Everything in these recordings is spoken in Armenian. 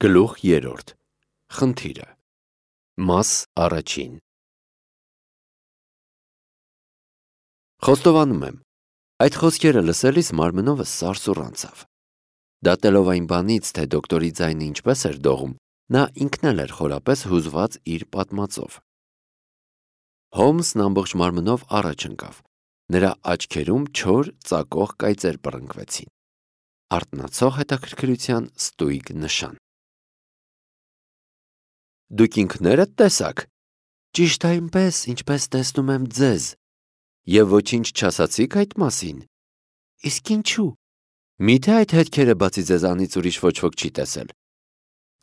Գլուխ 3. Խնդիրը։ Մաս առաջին։ Խոստովանում եմ, այդ խոսքերը լսելիս մարմնովս սարսուռ անցավ։ Դատելով այն բանից, թե դոկտորի ձայնը ինչպես էր դողում, նա ինքն էլ էր խորապես հուզված իր պատմածով։ Հոլմսն ամբողջ մարմնով առաջ ընկավ։ Նրա աչքերում չոր, ծակող կայծեր բռնկվեցին։ Արթնացող հետաքրքրության ստույգ նշան։ Դուք ինքներդ տեսաք։ Ճիշտ այնպես, ինչպես տեսնում եմ ձեզ։ Եվ ոչինչ չասացիք այդ մասին։ Իսկ ինչու։ Միթե այդ հետքերը բացի ձեզանից ուրիշ ոչ ոք չի տեսել։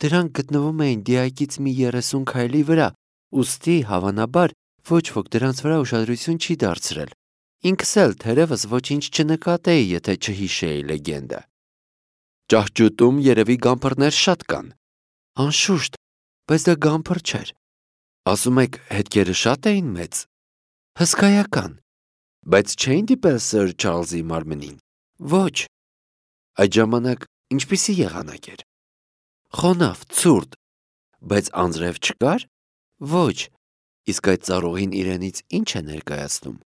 Դրանք գտնվում էին դիակից մի 30 քայլի վրա, ուստի հավանաբար ոչ ոք դրանց վրա ուշադրություն չի դարձրել։ Ինքս էլ թերևս ոչինչ չնկատեի, եթե չհիշեի լեգենդը։ Ճահճուտում երևի գամփրներ շատ կան։ Անշուշտ, բայց դա գամփր չէր։ Ասում եք, հետքերը շատ էին մեծ։ Հսկայական։ Բայց չէին դիպել Սըր Չարլզի մարմնին։ Ոչ։ Այդ ժամանակ ինչպիսի եղանակ էր։ Խոնավ, ցուրտ։ Բայց անձրև չկար։ Ոչ։ Իսկ այդ ծառուղին իրենից ինչ է ներկայացնում։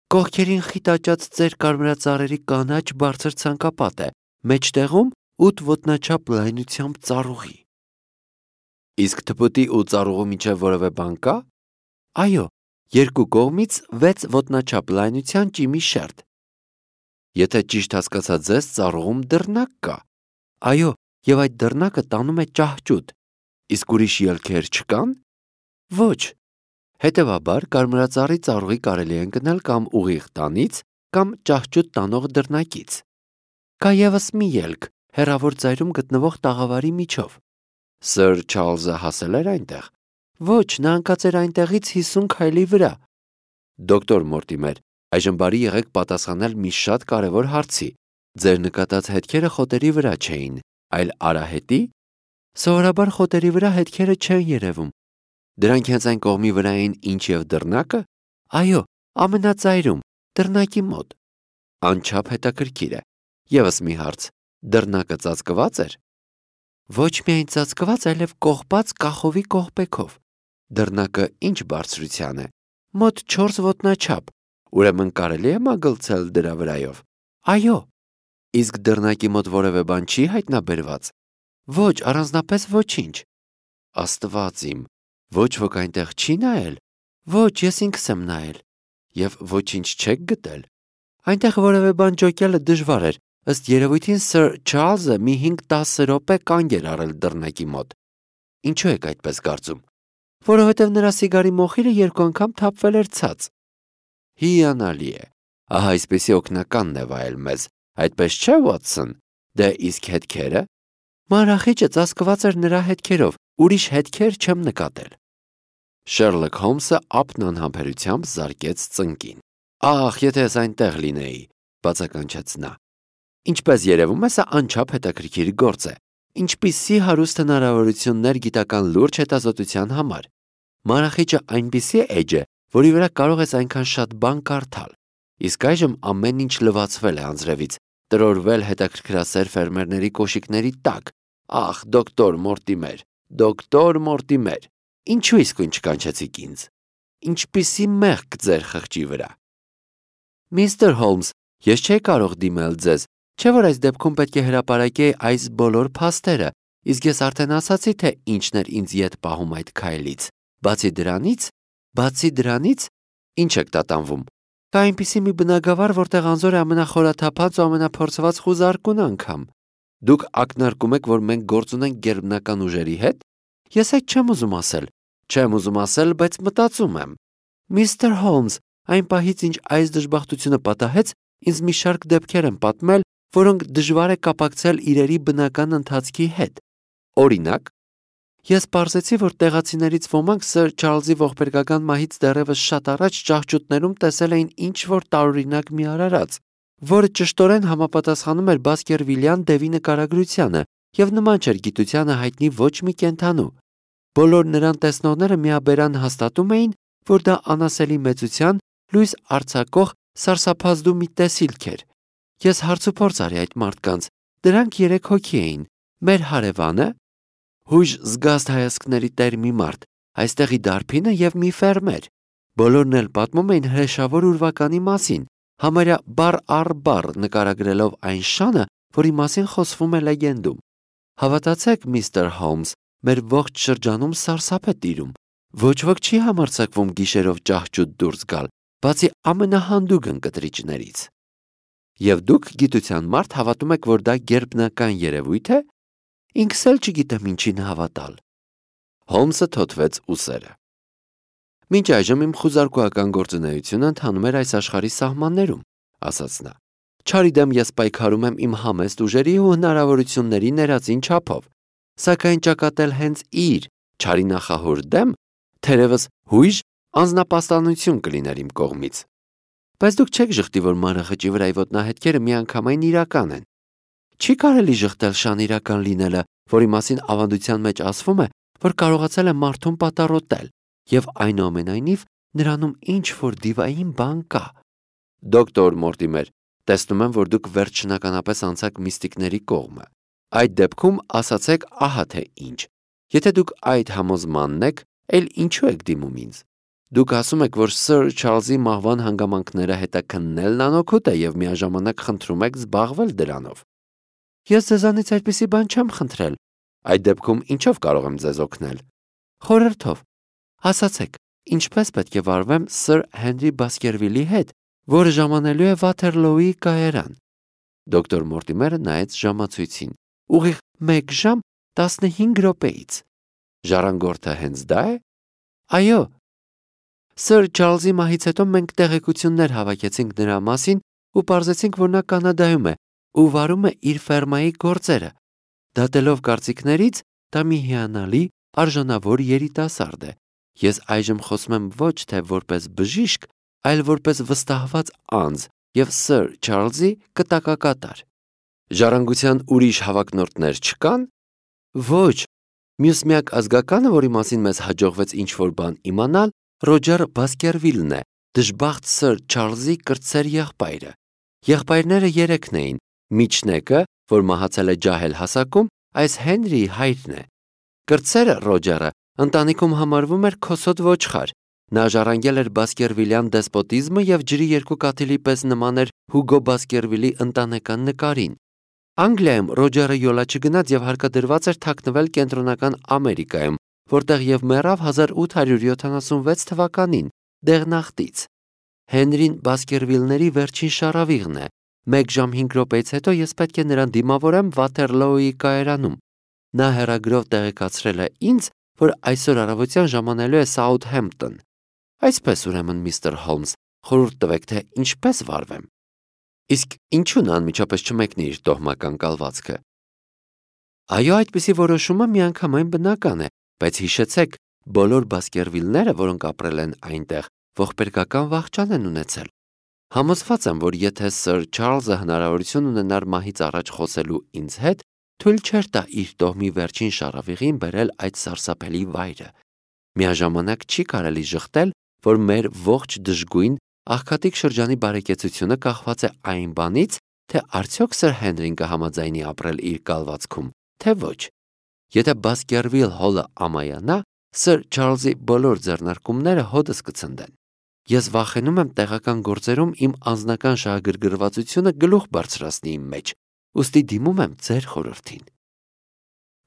Կողքերին խիտաճած ծեր կարմրածառերի կանաչ բարձր ցանկապատ է, մեջտեղում 8 ոտնաչափ լայնությամբ ծառուղի։ Իսկ թփուտի ու ծառուղու միջև որևէ բան կա։ Այո, երկու կողմից 6 ոտնաչափ լայնության ճիմի շերտ։ Եթե ճիշտ հասկացա ձեզ, ծառուղում դռնակ կա։ Այո, եւ այդ դռնակը տանում է ճահճուտ։ Իսկ ուրիշ ելքեր չկան։ Ոչ։ Հետևաբար կարմրածառի ծառուղի կարելի է ընկնել կամ ուղիղ տանից, կամ ճահճուտ տանող դռնակից։ Կա եւս մի ելք, հեռավոր ծայրում գտնվող տաղավարի միջով։ Սըր Չարլզը հասել էր այնտեղ։ Ոչ, նա ընկած էր այնտեղից 50 քայլի վրա։ Դոկտոր Մորտիմեր, այժմ բարի եղեք պատասխանել մի շատ կարևոր հարցի։ Ձեր նկատած հետքերը խոտերի վրա չէին, այլ արահետի։ Սովորաբար խոտերի վրա հետքերը չեն երևում։ Դրանք հենց այն կողմի վրա էին, ինչ եւ դռնակը։ Այո, ամենածայրում, դռնակի մոտ։ Անչափ հետաքրքիր է։ Եվս մի հարց. դռնակը ծածկված էր։ Ոչ միայն ծածկված, այլև կողպած կախովի կողպեքով։ Դռնակը ինչ բարձրության է։ Մոտ 4 ոտնաչափ։ Ուրեմն կարելի է մագլցել դրա վրայով։ Այո։ Իսկ դռնակի մոտ որևէ բան չի հայտնաբերված։ Ոչ, առանձնապես ոչինչ։ Աստված իմ, ոչ ոք այնտեղ չի նայել։ Ոչ, ես ինքս եմ նայել։ Եվ ոչինչ չեք գտել։ Այնտեղ որևէ բան ջոկելը դժվար էր։ Ըստ երևույթին Սըր Չարլզը մի 5-10 րոպե կանգ էր առել դռնակի մոտ։ Ինչու եք այդպես կարծում։ Որովհետև նրա սիգարի մոխիրը 2 անգամ թափվել էր ցած։ Հիանալի է։ Ահա այսպեսի օգնականն է վայել մեզ։ Այդպես չէ, Վաթսոն։ Դե իսկ հետքերը։ Մանրախիճը ծածկված էր նրա հետքերով, ուրիշ հետքեր չեմ նկատել։ Շերլոկ Հոլմսը ափն անհամբերությամբ զարկեց ծնկին։ Ահ, եթե ես այնտեղ լինեի, բացականչեց նա։ Ինչպես երևում է, սա անչափ հետաքրքիր գործ է։ Ինչպիսի հարուստ հնարավորություններ գիտական լուրջ հետազոտության համար։ Մանրախիճը այնպիսի էջ է, որի վրա կարող ես այնքան շատ բան կարդալ։ Իսկ այժմ ամեն ինչ լվացվել է անձրևից, տրորվել հետաքրքրասեր ֆերմերների կոշիկների տակ։ Ախ, դոկտոր Մորտիմեր, ինչու իսկույն չկանչեցիք ինձ։ Ինչպիսի մեղք ձեր խղճի վրա։ Միստր Հոլմս, ես չէի կարող դիմել ձեզ, չէ՞ որ այս դեպքում պետք է հրապարակեի այս բոլոր փաստերը, իսկ ես արդեն ասացի, թե ինչն էր ինձ ետ պահում այդ քայլից։ Բացի դրանից, ինչ եք տատանվում։ Կա այնպիսի մի բնակավար, որտեղ անզոր է ամենախորաթափած ու ամենափորձված խուզարկուն անգամ։ Դուք ակնարկում եք, որ մենք գործ ունենք գերբնական ուժերի հետ։ Ես այդ չեմ ուզում ասել, բայց մտածում եմ։ Միստր Հոլմս, այն պահից, ինչ այս դժբախտությունը պատահեց, ինձ մի շարք դեպքեր են պատմել, որոնք դժվար է կապակցել իրերի բնական ընթացքի հետ։ Օրինակ, ես պարզեցի, որ տեղացիներից ոմանք Սըր Չարլզի ողբերգական մահից դեռևս շատ առաջ ճահճուտներում տեսել էին ինչ-որ տարօրինակ մի արարած, որը ճշտորեն համապատասխանում էր Բասկերվիլյան դևի նկարագրությանը եւ նման չէր գիտությանը հայտնի ոչ մի կենդանու։ Բոլոր նրան տեսնողները միաբերան հաստատում էին, որ դա անասելի մեծության լույս արձակող սարսափազդու մի տեսիլք էր։ Ես հարցուփորձ արի այդ մարդկանց։ Դրանք 3 հոգի էին։ Մեր հարևանը, հույժ զգաստ հայացքների տեր մի մարդ, այստեղի դարբինը եւ մի ֆերմեր։ Բոլորն էլ պատմում էին հրեշավոր ուրվականի մասին, համարյա բառ առ բառ նկարագրելով այն շանը, որի մասին խոսվում է լեգենդում։ Հավատացեք, միստր Հոլմս, մեր ողջ շրջանում սարսափ է տիրում։ Ոչ ոք չի համարձակվում գիշերով ճահճուտ դուրս գալ, բացի ամենահանդուգն կտրիչներից։ Եվ դուք գիտության մարդ հավատում եք, որ դա գերբնական երևույթ է։ Ինքս էլ չգիտեմ ինչին հավատալ։ Հոլմսը թոթվեց ուսերը։ Մինչ այժմ իմ խուզարկուական գործունեությունը ընթանում էր այս աշխարհի սահմաններում, ասաց նա։ Չարի դեմ ես պայքարում եմ իմ համեստ ուժերի ու հնարավորությունների ներածին չափով, սակայն ճակատել հենց իր չարի նախահոր դեմ, թերևս հույժ անձնապաստանություն կլիներ իմ կողմից։ Բայց դուք չեք ժխտի, որ մանրախճի վրայի ոտնահետքերը միանգամայն իրական են։ Չի կարելի ժխտել շան իրական լինելը, որի մասին ավանդության մեջ ասվում է, որ կարողացել է մարդուն պատառոտել, եւ այնուամենայնիվ նրանում ինչ-որ դիվային բան կա։ Դոկտոր Մորտիմեր, տեսնում եմ, որ դուք վերջնականապես անցաք միստիկների կողմը։ Այդ դեպքում ասացեք ահա թե ինչ։ Եթե դուք այդ համոզմանն եք, էլ ինչու եք դիմում ինձ։ Դուք ասում եք, որ Սըր Չարլզի մահվան հանգամանքները հետաքննելն անօգուտ է եւ միաժամանակ խնդրում եք զբաղվել դրանով։ Ես ձեզանից այդպիսի բան չեմ խնդրել։ Այդ դեպքում ինչով կարող եմ ձեզ օգնել։ Խորհրդով։ Ասացեք, ինչպես պետք է վարվեմ Սըր Հենրի Բասկերվիլի հետ, որը ժամանելու է Վաթերլոուի կայարան։ Դոկտոր Մորտիմերը նայեց ժամացույցին։ Ուղիղ 1 ժամ 15 րոպեից։ Ժառանգորդը հենց դա է։ Այո։ Սըր Չարլզի մահից հետո մենք տեղեկություններ հավաքեցինք նրա մասին ու պարզեցինք, որ նա Կանադայում է ու վարում է իր ֆերմայի գործերը։ Դատելով կարծիքներից, դա մի հիանալի, արժանավոր երիտասարդ է։ Ես այժմ խոսում եմ ոչ թե որպես բժիշկ, այլ որպես վստահված անձ եւ Սըր Չարլզի կտակակատար։ Ժառանգության ուրիշ հավակնորդներ չկան։ Ոչ։ Մյուս միակ ազգականը, որի մասին մեզ հաջողվեց ինչ-որ բան իմանալ, Ռոջեր Բասկերվիլն է, դժբախտ Սըր Չարլզի կրտսեր եղբայրը։ Եղբայրները 3 էին։ Միջնեկը, որ մահացել է ջահել հասակում, այս Հենրիի հայրն է։ Կրտսերը Ռոջերը ընտանիքում համարվում էր քոսոտ ոչխար։ Նա ժառանգել էր Բասկերվիլյան դեսպոտիզմը եւ ջրի երկու կաթիլի պես նման էր Հուգո Բասկերվիլի ընտանեկան նկարին։ Անգլիայում Ռոջերը յոլա չգնաց եւ հարկադրված էր թաքնվել Կենտրոնական Ամերիկայում, որտեղ եւ մեռավ 1876 թվականին, դեղնախտից։ Հենրին Բասկերվիլների վերջին շարավիղն է։ 1 ժամ 5 րոպեից հետո ես պետք է նրան դիմավորեմ Վաթերլոուի կայարանում։ Նա հեռագրով տեղեկացրել է ինձ, որ այսօր առավոտյան ժամանելու է Սաութհեմպտոն։ Այսպես ուրեմն, միստր Հոլմս, խորհուրդ տվեք, թե ինչպես վարվեմ։ Իսկ ինչու նա անմիջապես չմեկնի իր տոհմական կալվածքը։ Այո, այդպիսի որոշումը միանգամայն բնական է, բայց հիշեցեք, բոլոր Բասկերվիլները, որոնք ապրել են այնտեղ, ողբերգական վախճան են ունեցել։ Համոզված եմ, որ եթե Սըր Չարլզը հնարավորություն ունենար մահից առաջ խոսելու ինձ հետ, թույլ չէր տա իր տոհմի վերջին շարավիղին բերել այդ սարսափելի վայրը։ Միաժամանակ չի կարելի ժխտել, որ մեր ողջ դժգույն աղքատիկ շրջանի բարեկեցությունը կախված է այն բանից, թե արդյոք Սըր Հենրին կհամաձայնի ապրել իր կալվածքում, թե ոչ։ Եթե Բասկերվիլ հոլը ամայանա, Սըր Չարլզի բոլոր ձեռնարկումները հոդս կցնդեն։ Ես վախենում եմ տեղական գործերում իմ անձնական շահագրգռվածությունը գլուխ բարձրացնի իմ մեջ, ուստի դիմում եմ ձեր խորհրդին։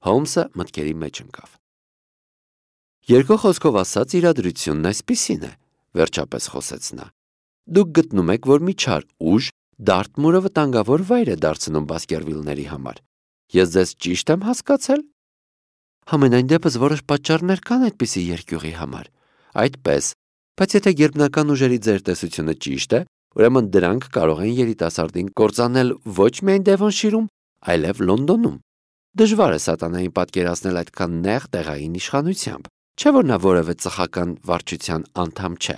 Հոլմսը մտքերի մեջ ընկավ։ Երկու խոսքով ասած, իրադրությունն այսպիսին է, վերջապես խոսեց նա։ Դուք գտնում եք, որ մի չար ուժ Դարթմուրը վտանգավոր վայր է դարձնում Բասկերվիլների համար։ Ես ձեզ ճիշտ եմ հասկացել։ Համենայն դեպս որոշ պատճառներ կան այդպիսի երկյուղի համար։ Այդպես, բայց եթե գերբնական ուժերի ձեր տեսությունը ճիշտ է, ուրեմն դրանք կարող են երիտասարդին կործանել ոչ միայն Դևոնշիրում, այլև Լոնդոնում։ Դժվար է սատանային պատկերացնել այդքան նեղ տեղային իշխանությամբ, չէ՞ որ նա որևէ ծխական վարչության անդամ չէ։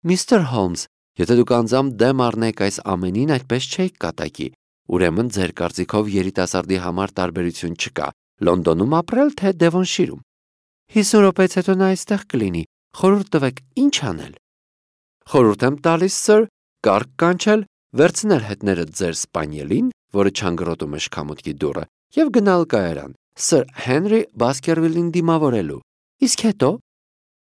Միստր Հոլմս, եթե դուք անձամբ դեմ առնեք այս ամենին, այդպես չէիք կատակի։ Ուրեմն ձեր կարծիքով երիտասարդի համար տարբերություն չկա՝ Լոնդոնում ապրել, թե Դևոնշիրում։ 50 րոպեից հետո նա այստեղ կլինի։ Խորհուրդ տվեք, ինչ անել։ Խորհուրդ եմ տալիս, Սըր, կառք կանչել, վերցնել հետները ձեր սպանիելին, որը չանգրոտում է շքամուտքի դուռը, եւ գնալ կայարան Սր Հենրի Բասքերվիլին դիմավորելու։ Իսկ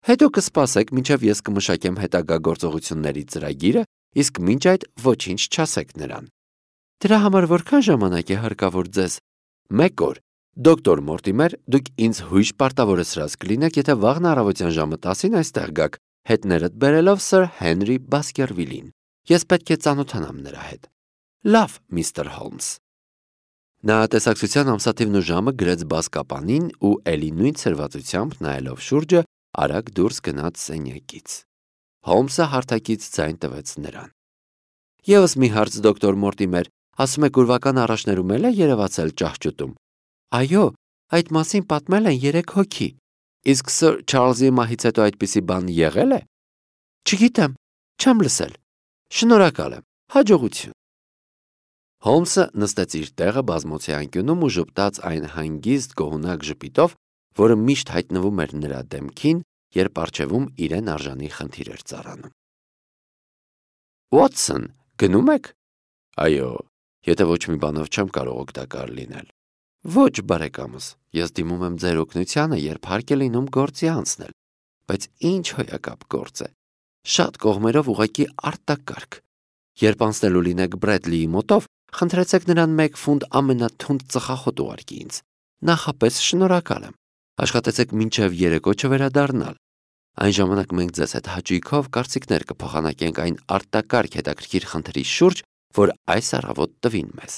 հետո կսպասեք, մինչև ես կմշակեմ հետագա գործողությունների ծրագիրը, իսկ մինչ այդ ոչինչ չասեք նրան։ Դրա համար որքան ժամանակ է հարկավոր ձեզ։ 1 օր։ Դոկտոր Մորտիմեր, դուք ինձ հույժ պարտավորեցրած կլինեք, եթե վաղն առավոտյան ժամը 10-ին այստեղ գաք, հետներդ բերելով Սր Հենրի Բասքերվիլին։ Ես պետք է ծանոթանամ նրա հետ։ Լավ, միստր Հոլմս։ Նա տեսակցության ամսաթիվն ու ժամը գրեց բազկապանին ու էլի նույն ցրվածությամբ նայելով շուրջը արագ դուրս գնաց սենյակից։ Հոլմսը հարթակից ձայն տվեց նրան։ Եվս մի հարց, դոկտոր Մորտիմեր, ասում եք ուրվական առաջներում էլ է երևացել ճահճուտում։ Այո, այդ մասին պատմել են 3 հոգի։ Իսկ Սր Չարլզի մահից հետո այդպիսի բան եղել է։ Չգիտեմ, չեմ լսել։ Շնորհակալ եմ, հաջողություն։ Հոլմսը նստեց իր տեղը բազմոցի անկյունում ու ժպտաց այն հանգիստ գոհունակ ժպիտով, որը միշտ հայտնվում էր նրա դեմքին, երբ առջևում իրեն արժանի խնդիր էր ծառանում։ Ուոտսոն, գնում եք։ Այո, եթե ոչ մի բանով չեմ կարող օգտակար լինել։ Ոչ, բարեկամս, ես դիմում եմ ձեր օգնությանը, երբ հարկ է լինում գործի անցնել, բայց ինչ հոյակապ գործ է։ Շատ կողմերով ուղղակի արտակարգ։ Երբ անցնելու լինեք Բրեդլիի մոտով, խնդրեցեք նրան 1 ֆունտ ամենաթունդ ծխախոտ ուղարկի ինձ։ Նախապես շնորհակալ եմ։ Աշխատեցեք մինչև երեկո չվերադառնալ։ Այն ժամանակ մենք ձեզ հետ հաճույքով կարծիքներ կփոխանակենք այն արտակարգ հետաքրքիր խնդրի շուրջ, որ այս առավոտ տվին մեզ։